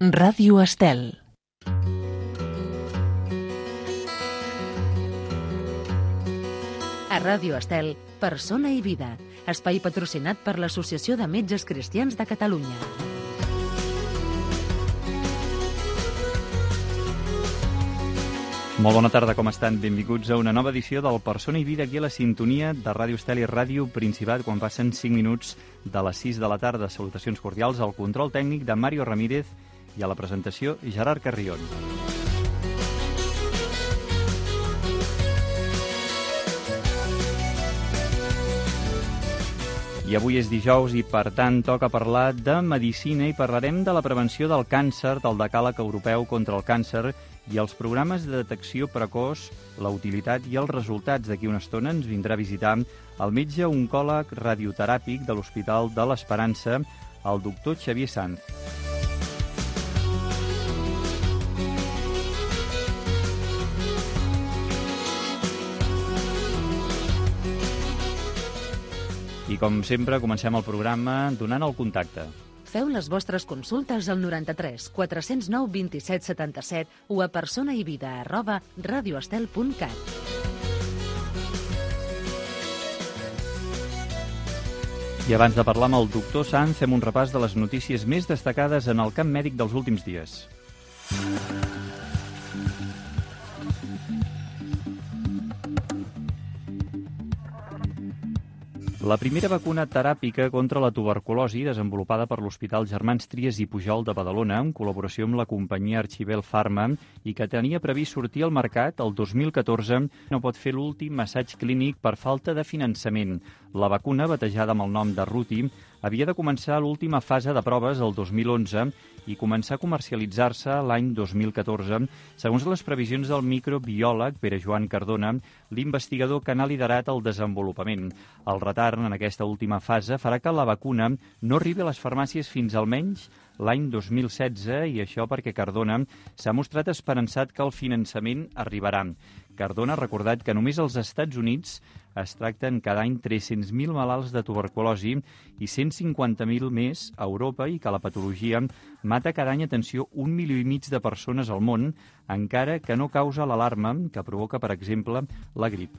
Ràdio Estel. A Ràdio Estel, Persona i Vida, espai patrocinat per l'Associació de Metges Cristians de Catalunya. Molt bona tarda, com estan? Benvinguts a una nova edició del Persona i Vida, aquí a la sintonia de Ràdio Estel i Ràdio Principat, quan passen 5 minuts de les 6 de la tarda. Salutacions cordials al control tècnic de Mario Ramírez i a la presentació Gerard Carrion. I avui és dijous i, per tant, toca parlar de medicina i parlarem de la prevenció del càncer, del decàleg europeu contra el càncer i els programes de detecció precoç, la utilitat i els resultats. D'aquí una estona ens vindrà a visitar el metge oncòleg radioteràpic de l'Hospital de l'Esperança, el doctor Xavier Sanz. I com sempre, comencem el programa donant el contacte. Feu les vostres consultes al 93 409 27 77 o a personaivida@radioestel.cat. I abans de parlar amb el doctor Sanz, fem un repàs de les notícies més destacades en el camp mèdic dels últims dies. La primera vacuna teràpica contra la tuberculosi, desenvolupada per l'Hospital Germans Trias i Pujol de Badalona, en col·laboració amb la companyia Archibel Pharma, i que tenia previst sortir al mercat el 2014, no pot fer l'últim assaig clínic per falta de finançament. La vacuna, batejada amb el nom de Ruti, havia de començar l'última fase de proves el 2011 i començar a comercialitzar-se l'any 2014, segons les previsions del microbiòleg Pere Joan Cardona, l'investigador que n'ha liderat el desenvolupament. El retard en aquesta última fase farà que la vacuna no arribi a les farmàcies fins almenys l'any 2016, i això perquè Cardona s'ha mostrat esperançat que el finançament arribarà. Cardona ha recordat que només als Estats Units es tracten cada any 300.000 malalts de tuberculosi i 150.000 més a Europa, i que la patologia mata cada any, atenció, 1,5 milió de persones al món, encara que no causa l'alarma que provoca, per exemple, la grip.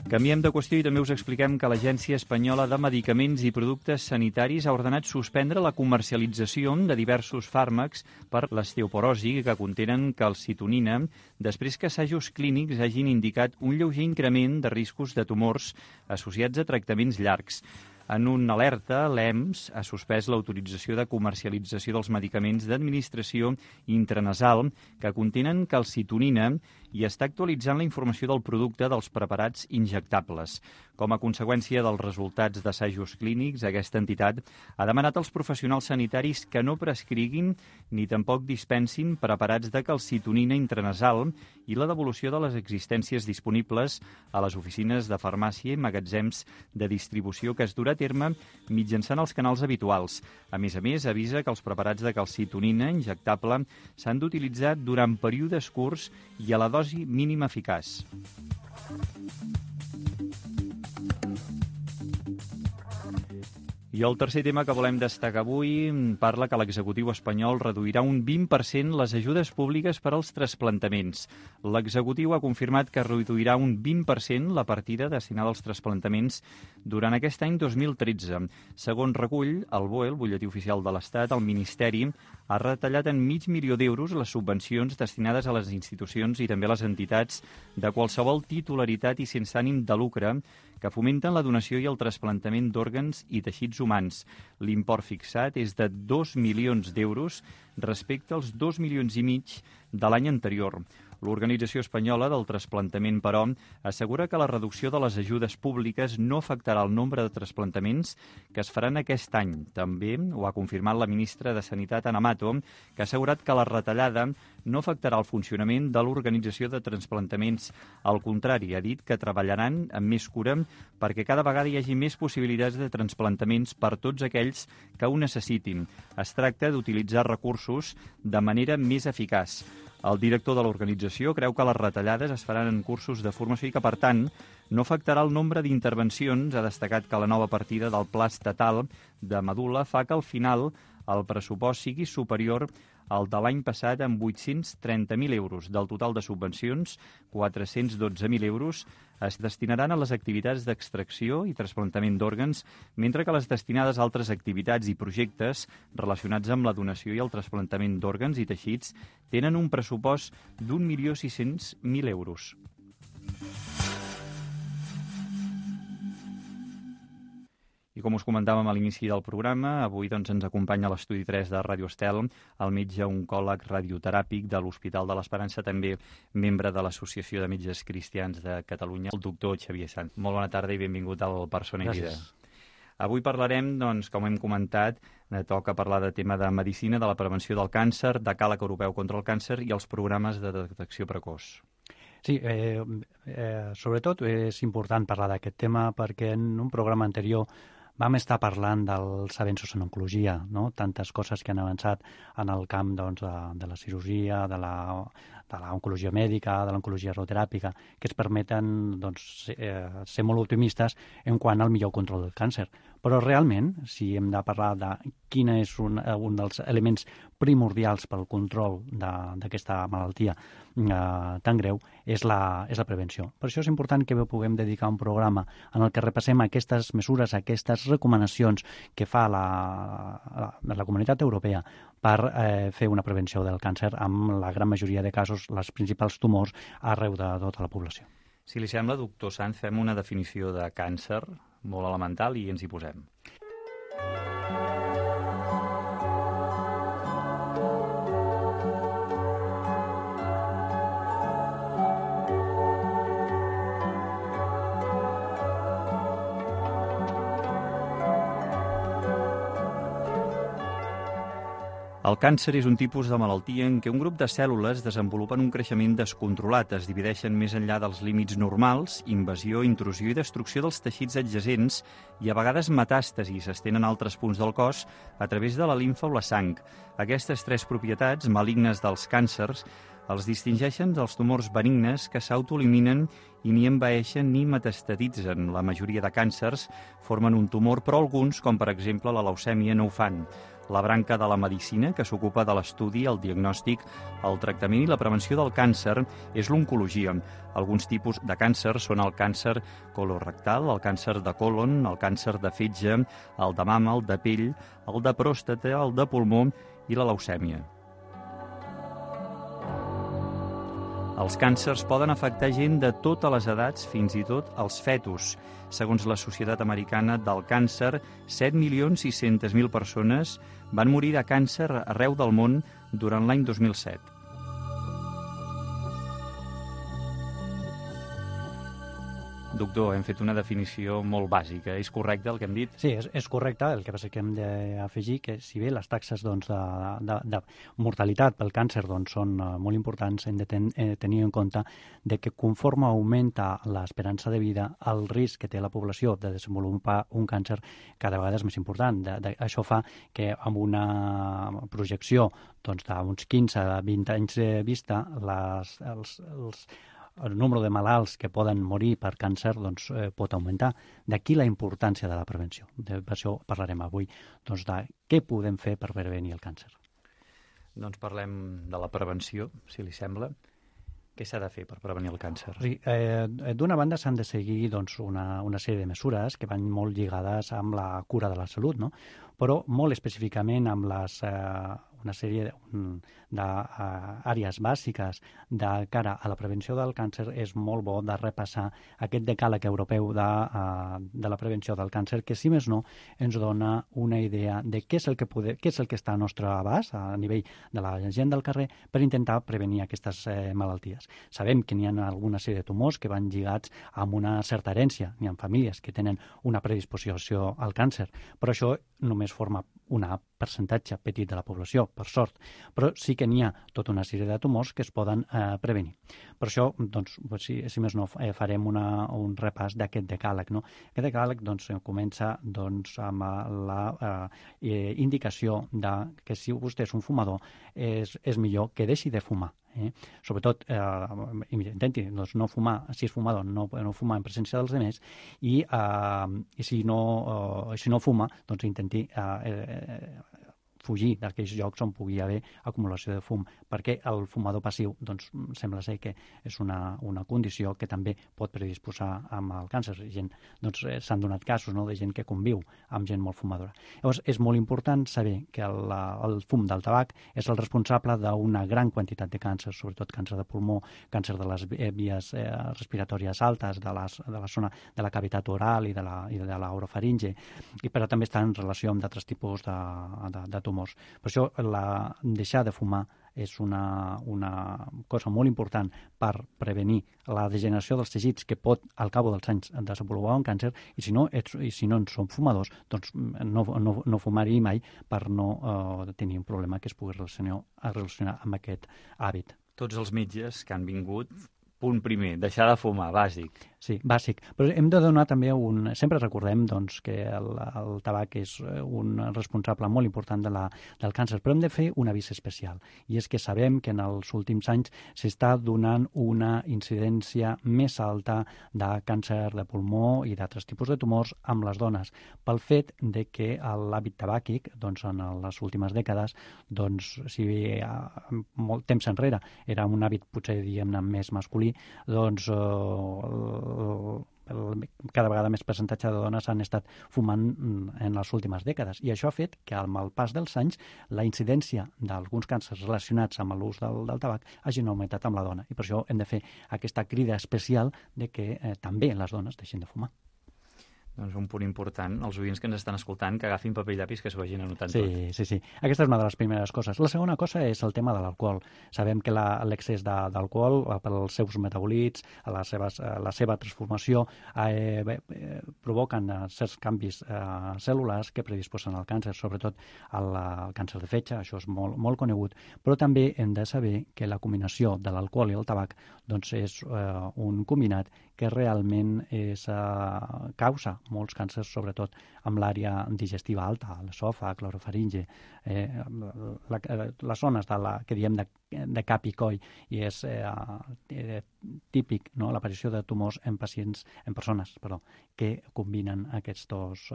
Canviem de qüestió i també us expliquem que l'Agència Espanyola de Medicaments i Productes Sanitaris ha ordenat suspendre la comercialització de diversos fàrmacs per l'osteoporosi que contenen calcitonina, després que assajos clínics hagin indicat un lleuger increment de riscos de tumors associats a tractaments llargs. En una alerta, l'EMS ha suspès l'autorització de comercialització dels medicaments d'administració intranasal que contenen calcitonina i està actualitzant la informació del producte dels preparats injectables. Com a conseqüència dels resultats d'assajos clínics, aquesta entitat ha demanat als professionals sanitaris que no prescriguin ni tampoc dispensin preparats de calcitonina intranasal i la devolució de les existències disponibles a les oficines de farmàcia i magatzems de distribució que es durà a terme mitjançant els canals habituals. A més, avisa que els preparats de calcitonina injectable s'han d'utilitzar durant períodes curts i a la dosi mínima eficaç. I el tercer tema que volem destacar avui parla que l'executiu espanyol reduirà un 20% les ajudes públiques per als trasplantaments. L'executiu ha confirmat que reduirà un 20% la partida destinada als trasplantaments durant aquest any 2013. Segons recull el BOE, el Butlletí Oficial de l'Estat, el Ministeri ha retallat en $500.000 les subvencions destinades a les institucions i també a les entitats de qualsevol titularitat i sense ànim de lucre que fomenten la donació i el trasplantament d'òrgans i teixits humans. L'import fixat és de 2 milions d'euros respecte als 2,5 milions de l'any anterior. L'Organització Espanyola del Trasplantament, però, assegura que la reducció de les ajudes públiques no afectarà el nombre de trasplantaments que es faran aquest any. També ho ha confirmat la ministra de Sanitat, Ana Mato, que ha assegurat que la retallada no afectarà el funcionament de l'Organització de Trasplantaments. Al contrari, ha dit que treballaran amb més cura perquè cada vegada hi hagi més possibilitats de trasplantaments per tots aquells que ho necessitin. Es tracta d'utilitzar recursos de manera més eficaç. El director de l'organització creu que les retallades es faran en cursos de formació i que, per tant, no afectarà el nombre d'intervencions. Ha destacat que la nova partida del Pla Estatal de Medul·la fa que al final el pressupost sigui superior al de l'any passat amb 830.000 euros. Del total de subvencions, 412.000 euros es destinaran a les activitats d'extracció i trasplantament d'òrgans, mentre que les destinades a altres activitats i projectes relacionats amb la donació i el trasplantament d'òrgans i teixits tenen un pressupost d'1.600.000 euros. I com us comentàvem a l'inici del programa, avui ens acompanya a l'Estudi 3 de Ràdio Estel el metge oncòleg radioteràpic de l'Hospital de l'Esperança, també membre de l'Associació de Metges Cristians de Catalunya, el doctor Xavier Sant. Molt bona tarda i benvingut al Persona i Vida. Avui parlarem, com hem comentat, toca parlar de tema de medicina, de la prevenció del càncer, de Decàleg Europeu contra el Càncer i els programes de detecció precoç. Sí, sobretot és important parlar d'aquest tema perquè en un programa anterior vam estar parlant dels avenços en oncologia, no? Tantes coses que han avançat en el camp de la cirurgia, de l'oncologia mèdica, de l'oncologia radioteràpica, que ens permeten ser molt optimistes en quant al millor control del càncer. Però realment, si hem de parlar de quin és un dels elements primordials pel control d'aquesta malaltia tan greu, és la prevenció. Per això és important que puguem dedicar un programa en el que repassem aquestes mesures, aquestes recomanacions que fa la Comunitat Europea per fer una prevenció del càncer amb la gran majoria de casos, els principals tumors arreu de tota la població. Si li sembla, doctor Sanz, fem una definició de càncer molt elemental i ens hi posem. El càncer és un tipus de malaltia en què un grup de cèl·lules desenvolupen un creixement descontrolat, es divideixen més enllà dels límits normals, invasió, intrusió i destrucció dels teixits adjacents i a vegades metàstasis s'estenen a altres punts del cos a través de la limfa o la sang. Aquestes tres propietats malignes dels càncers els distingeixen dels tumors benignes que s'autoeliminen i ni envaeixen ni metastatitzen. La majoria de càncers formen un tumor, però alguns, com per exemple la leucèmia, no ho fan. La branca de la medicina que s'ocupa de l'estudi, el diagnòstic, el tractament i la prevenció del càncer és l'oncologia. Alguns tipus de càncer són el càncer colorectal, el càncer de còlon, el càncer de fetge, el de mama, el de pell, el de pròstata, el de pulmó i la leucèmia. Els càncers poden afectar gent de totes les edats, fins i tot els fetus. Segons la Societat Americana del Càncer, 7.600.000 persones van morir de càncer arreu del món durant l'any 2007. Doctor, hem fet una definició molt bàsica. És correcte el que hem dit? Sí, és correcte. El que passa que hem d'afegir que si bé les taxes de mortalitat pel càncer són molt importants, hem de tenir en compte que conforme augmenta l'esperança de vida, el risc que té la població de desenvolupar un càncer cada vegada és més important. Això fa que amb una projecció d'uns 15 a 20 anys de vista, el nombre de malalts que poden morir per càncer pot augmentar. D'aquí la importància de la prevenció. Per això parlarem avui de què podem fer per prevenir el càncer. Doncs parlem de la prevenció, si li sembla. Què s'ha de fer per prevenir el càncer? D'una banda s'han de seguir una sèrie de mesures que van molt lligades amb la cura de la salut, no? Però molt específicament amb una sèrie d'àrees bàsiques de cara a la prevenció del càncer. És molt bo de repassar aquest decàleg europeu de la prevenció del càncer, que si més no ens dona una idea de què és el que està al nostre abast a nivell de la gent del carrer per intentar prevenir aquestes malalties. Sabem que n'hi ha alguna sèrie de tumors que van lligats amb una certa herència. N'hi ha famílies que tenen una predisposició al càncer, però això només forma un percentatge petit de la població. per sort, però sí que n'hi ha tota una sèrie de tumors que es poden prevenir. Per això, doncs, si més no, farem un repàs d'aquest decàleg. No? Aquest decàleg comença amb la indicació que si vostè és un fumador és millor que deixi de fumar. Sobretot intenti no fumar, si és fumador, no fumar en presència dels altres, i si no fuma, doncs intenti fugir d'aquells llocs on pugui haver acumulació de fum, perquè el fumador passiu sembla ser que és una condició que també pot predisposar amb el càncer. S'han donat casos de gent que conviu amb gent molt fumadora. Llavors, és molt important saber que el fum del tabac és el responsable d'una gran quantitat de càncers, sobretot càncer de pulmó, càncer de les vies respiratòries altes, de la zona de la cavitat oral i de l'orofaringe, però també està en relació amb d'altres tipus de tumors. Per això deixar de fumar és una cosa molt important per prevenir la degeneració dels teixits que pot, al cap dels anys, desenvolupar un càncer, i si no en som fumadors, doncs no fumar-hi mai per no tenir un problema que es pugui relacionar amb aquest hàbit. Tots els metges que han vingut, punt primer, deixar de fumar, bàsic. Sí, bàsic. Però hem de donar també Sempre recordem que el tabac és un responsable molt important del càncer, però hem de fer un avís especial. I és que sabem que en els últims anys s'està donant una incidència més alta de càncer de pulmó i d'altres tipus de tumors amb les dones, pel fet de que l'hàbit tabàquic, en les últimes dècades, si molt temps enrere era un hàbit potser, diguem-ne, més masculí, cada vegada més percentatge de dones han estat fumant en les últimes dècades, i això ha fet que amb el pas dels anys la incidència d'alguns càncers relacionats amb l'ús del tabac hagin augmentat amb la dona, i per això hem de fer aquesta crida especial de que també les dones deixin de fumar. Doncs un punt important, els oients que ens estan escoltant, que agafin paper i llapis, que s'ho vagin anotant tot. Sí. Aquesta és una de les primeres coses. La segona cosa és el tema de l'alcohol. Sabem que l'excés d'alcohol, pels seus metabòlits, la seva transformació, provoquen certs canvis cèl·lulars que predisposen al càncer, sobretot al càncer de fetge, això és molt conegut, però també hem de saber que la combinació de l'alcohol i el tabac és un combinat que realment causa molts càncers, sobretot amb l'àrea digestiva alta, l'esòfag, l'orofaringe, les zones que diem de cap i coll, i és típic l'aparició de tumors en persones que combinen aquests dos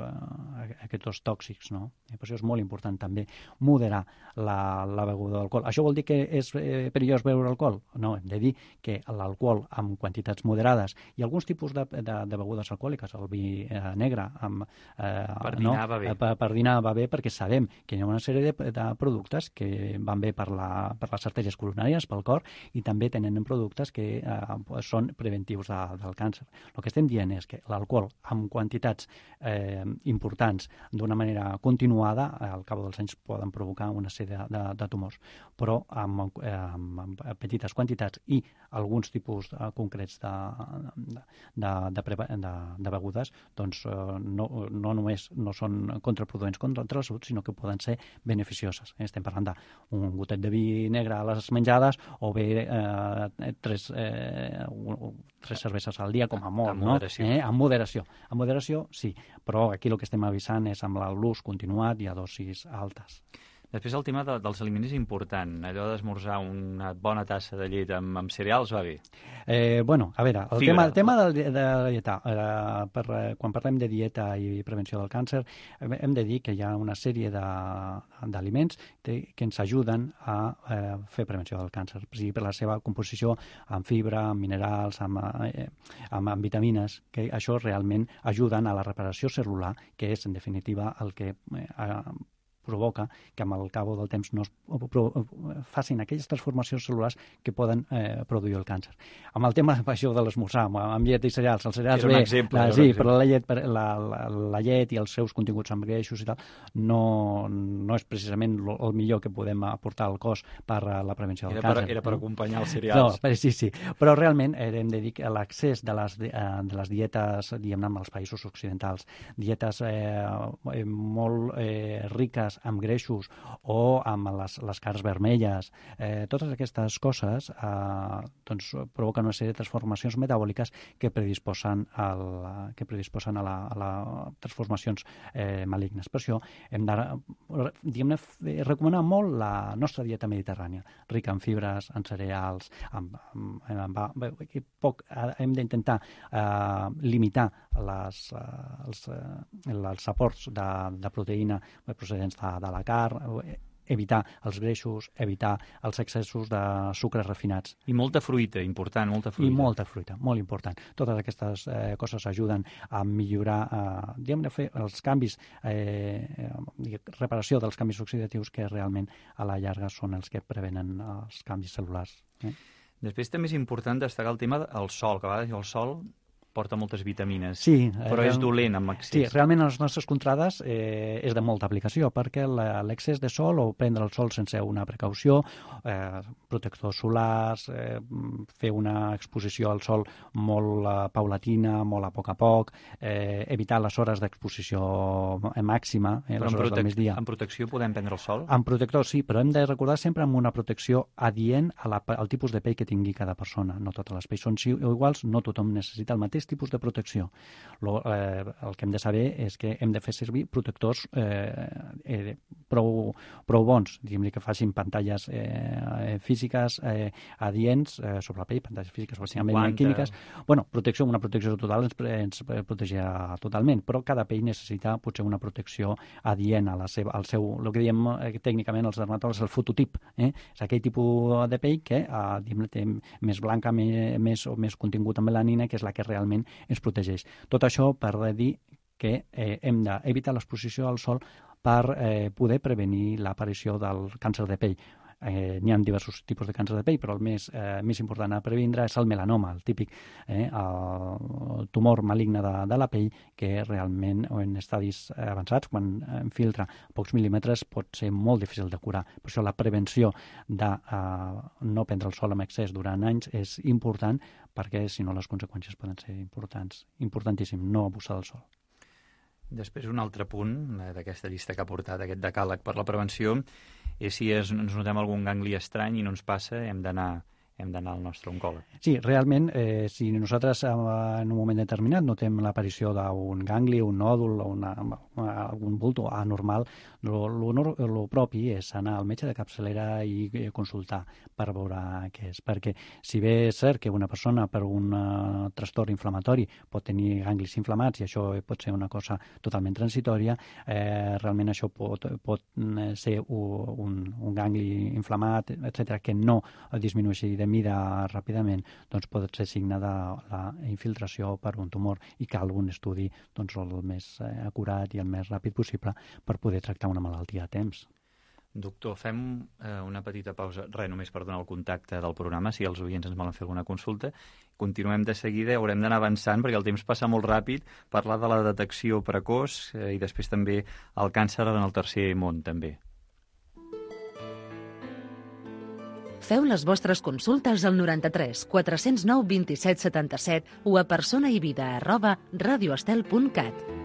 tòxics. Per això és molt important també moderar la beguda d'alcohol. Això vol dir que és perillós beure alcohol? No, hem de dir que l'alcohol amb quantitats moderades i alguns tipus de begudes alcohòliques, el vi negre per dinar va bé. Per dinar va bé, perquè sabem que hi ha una sèrie de productes que van bé per les artèries coronàries, pel cor, i també tenen productes que són preventius del càncer. El que estem dient és que l'alcohol amb quantitats importants d'una manera continuada al cap dels anys poden provocar una sèrie de tumors, però amb petites quantitats i alguns tipus concrets de begudes no només no són contraproduents contra la salut, sinó que poden ser beneficioses. Estem parlant d'un gotet de vi negre a les menjades o bé tres cerveses al dia com a molt. Amb moderació. Amb moderació. Amb moderació, sí, però aquí el que estem avisant és amb l'ús continuat i a dosis altes. Després el tema dels aliments és important. Allò d'esmorzar una bona tassa de llet amb cereals va bé. A veure, el tema de la dieta. Quan parlem de dieta i prevenció del càncer, hem de dir que hi ha una sèrie d'aliments que ens ajuden a fer prevenció del càncer, per la seva composició amb fibra, amb minerals, amb vitamines, que això realment ajuden a la reparació cel·lular, que és, en definitiva, el que provoca que amb el cap del temps no facin aquelles transformacions cel·lulars que poden produir el càncer. Amb el tema de l'esmorzar, amb llet i cereals, els cereals bé, exemple, sí, però la llet i els seus continguts amb greixos i tal no és precisament el millor que podem aportar al cos per a la prevenció del càncer. Era per acompanyar els cereals. No, sí, però realment hem de dir que l'accés de les dietes, diguem-ne, als països occidentals, dietes molt riques diabètiques, amb greixos o amb les cares vermelles. Totes aquestes coses doncs, provoquen una sèrie de transformacions metabòliques que predisposen a les transformacions malignes. Per això hem de recomanar molt la nostra dieta mediterrània, rica en fibres, en cereals, hem d'intentar limitar els aports de proteïna procedents de la carn, evitar els greixos, evitar els excessos de sucres refinats. I molta fruita, important, molta fruita. I molta fruita, molt important. Totes aquestes coses ajuden a millorar, fer els canvis, reparació dels canvis oxidatius que realment a la llarga són els que prevenen els canvis cel·lulars. Després també és important destacar el tema del sol, que a vegades el sol porta moltes vitamines, sí, però és dolent amb excés. Sí, realment a les nostres contrades és de molta aplicació, perquè l'excés de sol o prendre el sol sense una precaució, protectors solars, fer una exposició al sol molt paulatina, molt a poc, evitar les hores d'exposició màxima, les hores del migdia. En protecció podem prendre el sol? En protector sí, però hem de recordar sempre amb una protecció adient al tipus de pell que tingui cada persona. No totes les pells són iguals, no tothom necessita el mateix tipus de protecció. El que hem de saber és que hem de fer servir protectors prou bons, diguem-ne que facin pantalles físiques adients sobre la pell, pantalles físiques o químiques. Bueno, una protecció total ens protegirà totalment, però cada pell necessita potser una protecció adient al seu, el que diem tècnicament els dermatòlegs, el fototip. És aquell tipus de pell que té més blanca, més contingut en melanina, que és la que realment ens protegeix. Tot això per dir que hem d'evitar l'exposició al sol per poder prevenir l'aparició del càncer de pell. N'hi ha diversos tipus de càncer de pell, però el més important a previndre és el melanoma, el típic el tumor maligne de la pell, que realment en estadis avançats, quan infiltra pocs mil·límetres, pot ser molt difícil de curar. Per això la prevenció de no prendre el sol amb excés durant anys és important, perquè si no les conseqüències poden ser importantíssim, no abusar del sol. Després, un altre punt d'aquesta llista que ha portat aquest decàleg per la prevenció és si ens notem algun gangli estrany i no ens passa, hem d'anar al nostre oncòleg. Sí, realment, si nosaltres en un moment determinat notem l'aparició d'un gangli, un nòdul o algun bulto anormal, el propi és anar al metge de capçalera i consultar per veure què és. Perquè si bé és cert que una persona per un trastorn inflamatori pot tenir ganglis inflamats i això pot ser una cosa totalment transitòria, realment això pot ser un gangli inflamat, etc., que no disminueixi de mida ràpidament, doncs pot ser signe de la infiltració per un tumor i cal un estudi el més acurat i el més ràpid possible per poder tractar una malaltia a temps. Doctor, fem una petita pausa, només per donar el contacte del programa, si els oients ens volen fer alguna consulta. Continuem de seguida, haurem d'anar avançant perquè el temps passa molt ràpid, parlar de la detecció precoç i després també el càncer en el tercer món, també. Feu les vostres consultes al 93 409 27 77 o a personaivida@radioestel.cat.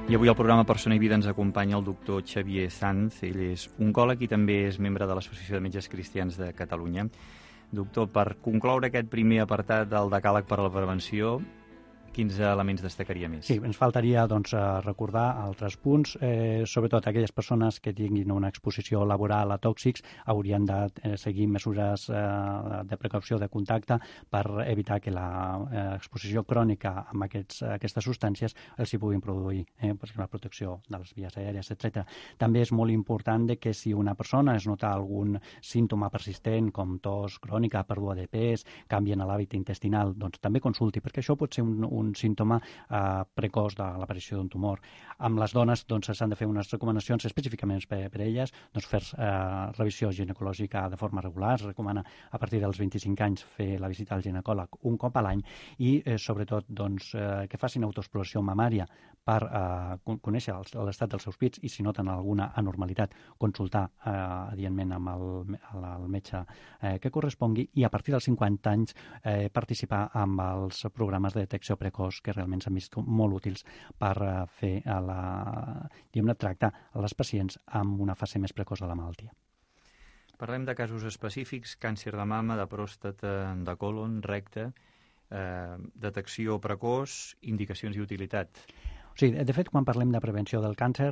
I avui al programa Persona i Vida ens acompanya el doctor Xavier Sanz. Ell és oncòleg i també és membre de l'Associació de Metges Cristians de Catalunya. Doctor, per concloure aquest primer apartat del decàleg per a la prevenció, quins elements destacaria més? Sí, ens faltaria recordar altres punts, sobretot aquelles persones que tinguin una exposició laboral a tòxics haurien de seguir mesures de precaució de contacte per evitar que l'exposició crònica amb aquestes substàncies els hi puguin produir, la protecció de les vies aèries, etc. També és molt important que si una persona es nota algun símptoma persistent com tos crònica, pèrdua de pes, canvi en l'hàbit intestinal, doncs també consulti, perquè això pot ser un un símptoma precoç de l'aparició d'un tumor. Amb les dones s'han de fer unes recomanacions específicament per elles, fer revisió ginecològica de forma regular. Es recomana a partir dels 25 anys fer la visita al ginecòleg un cop a l'any i sobretot que facin autoexploració mamària per conèixer l'estat dels seus pits i si noten alguna anormalitat consultar adientment amb el metge que correspongui i a partir dels 50 anys participar amb els programes de detecció precoç que realment s'han vist molt útils per fer tractar a les pacients amb una fase més precoç de la malaltia. Parlem de casos específics, càncer de mama, de pròstata, de colon, recte, detecció precoç, indicacions i utilitat. Sí, de fet, quan parlem de prevenció del càncer,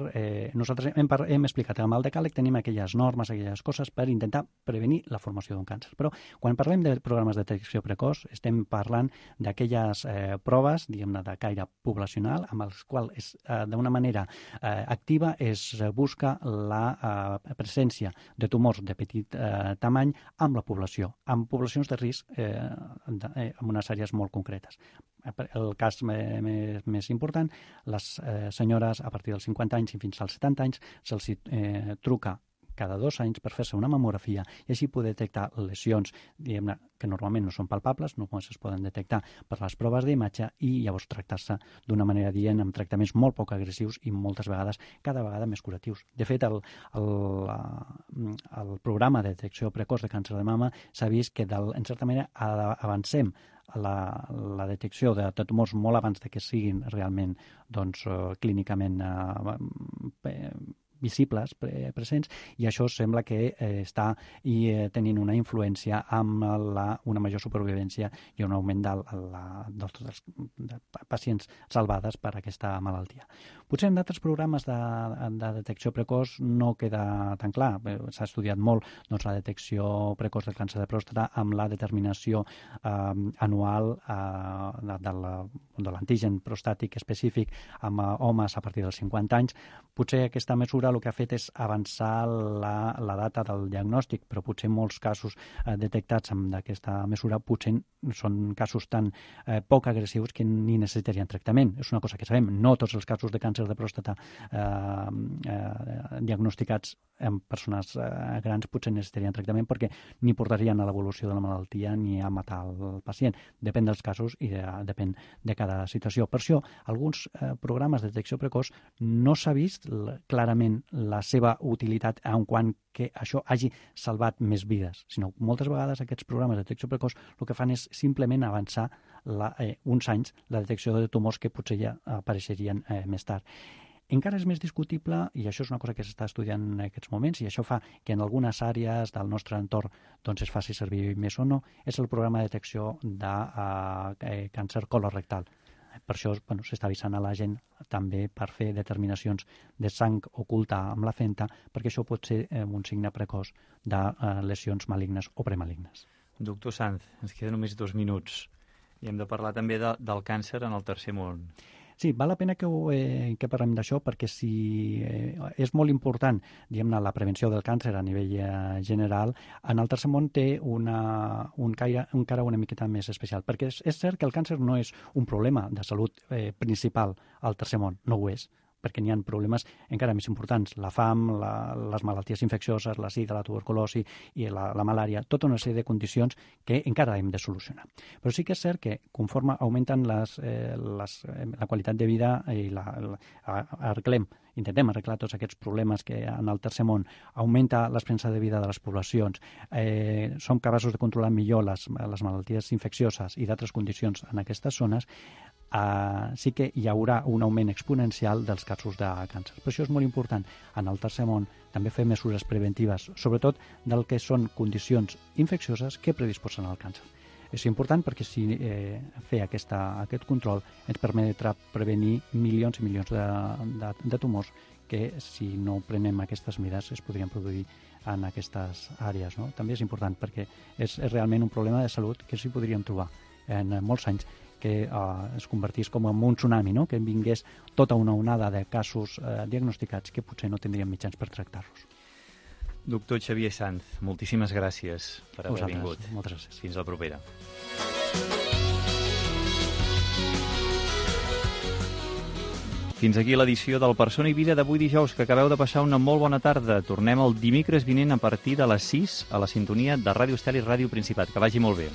nosaltres hem explicat que amb el decàleg tenim aquelles normes, aquelles coses per intentar prevenir la formació d'un càncer. Però quan parlem de programes de detecció precoç, estem parlant d'aquelles proves, diguem-ne, de caire poblacional, amb els quals d'una manera activa es busca la presència de tumors de petit tamany amb la població, amb poblacions de risc en unes àrees molt concretes. El cas més important, les senyores a partir dels 50 anys i fins als 70 anys se'ls truca cada 2 anys per fer-se una mamografia i així poder detectar lesions que normalment no són palpables, només es poden detectar per les proves d'imatge i llavors tractar-se d'una manera dient amb tractaments molt poc agressius i moltes vegades, cada vegada més curatius. De fet, el programa de detecció precoç de càncer de mama s'ha vist que, en certa manera, avancem la detecció de tumors molt abans que siguin realment clínicament visibles, presents, i això sembla que està tenint una influència amb una major supervivència i un augment de pacients salvades per aquesta malaltia. Potser en d'altres programes de detecció precoç no queda tan clar. S'ha estudiat molt la detecció precoç del càncer de pròstata amb la determinació anual de l'antigen prostàtic específic amb homes a partir dels 50 anys. Potser aquesta mesura el que ha fet és avançar la data del diagnòstic, però potser molts casos detectats amb aquesta mesura potser són casos tan poc agressius que ni necessitarien tractament. És una cosa que sabem. No tots els casos de càncer de pròstata diagnosticats en persones grans potser necessitarien tractament perquè ni portarien a l'evolució de la malaltia ni a matar el pacient. Depèn dels casos i depèn de cada situació. Per això, alguns programes de detecció precoç no s'ha vist clarament la seva utilitat en quant que això hagi salvat més vides, sinó moltes vegades aquests programes de detecció precoç el que fan és simplement avançar uns anys la detecció de tumors que potser ja apareixerien més tard. Encara és més discutible, i això és una cosa que s'està estudiant en aquests moments, i això fa que en algunes àrees del nostre entorn es faci servir més o no, és el programa de detecció de càncer colorectal. Per això s'està avisant a la gent també per fer determinacions de sang oculta amb la fenta, perquè això pot ser un signe precoç de lesions malignes o premalignes. Doctor Sanz, ens queden només 2 minuts i hem de parlar també del càncer en el tercer món. Sí, val la pena que parlem d'això perquè és molt important, diguem-ne, la prevenció del càncer a nivell general. En el tercer món té un caire encara una miqueta més especial, perquè és cert que el càncer no és un problema de salut principal al tercer món, no ho és, perquè n'hi ha problemes encara més importants, la fam, les malalties infeccioses, la sida, la tuberculosi i la malària, tota una sèrie de condicions que encara hem de solucionar. Però sí que és cert que conforme augmenten la qualitat de vida i intentem arreglar tots aquests problemes que en el tercer món augmenta l'esperança de vida de les poblacions, som capaços de controlar millor les malalties infeccioses i d'altres condicions en aquestes zones, sí que hi haurà un augment exponencial dels casos de càncer. Per això és molt important en el tercer món també fer mesures preventives, sobretot del que són condicions infeccioses que predisposen al càncer. És important perquè si fer aquest control ens permetrà prevenir milions i milions de tumors que si no prenem aquestes mesures es podrien produir en aquestes àrees. No? També és important perquè és realment un problema de salut que s'hi podríem trobar en molts anys, que es convertís com en un tsunami, no? Que vingués tota una onada de casos diagnosticats que potser no tindríem mitjans per tractar-los. Doctor Xavier Sanz, moltíssimes gràcies per haver vingut. Moltes gràcies. Fins la propera. Fins aquí l'edició del Persona i Vida d'avui dijous, que acabeu de passar una molt bona tarda. Tornem el dimecres vinent a partir de les 6 a la sintonia de Ràdio Estel i Ràdio Principat. Que vagi molt bé.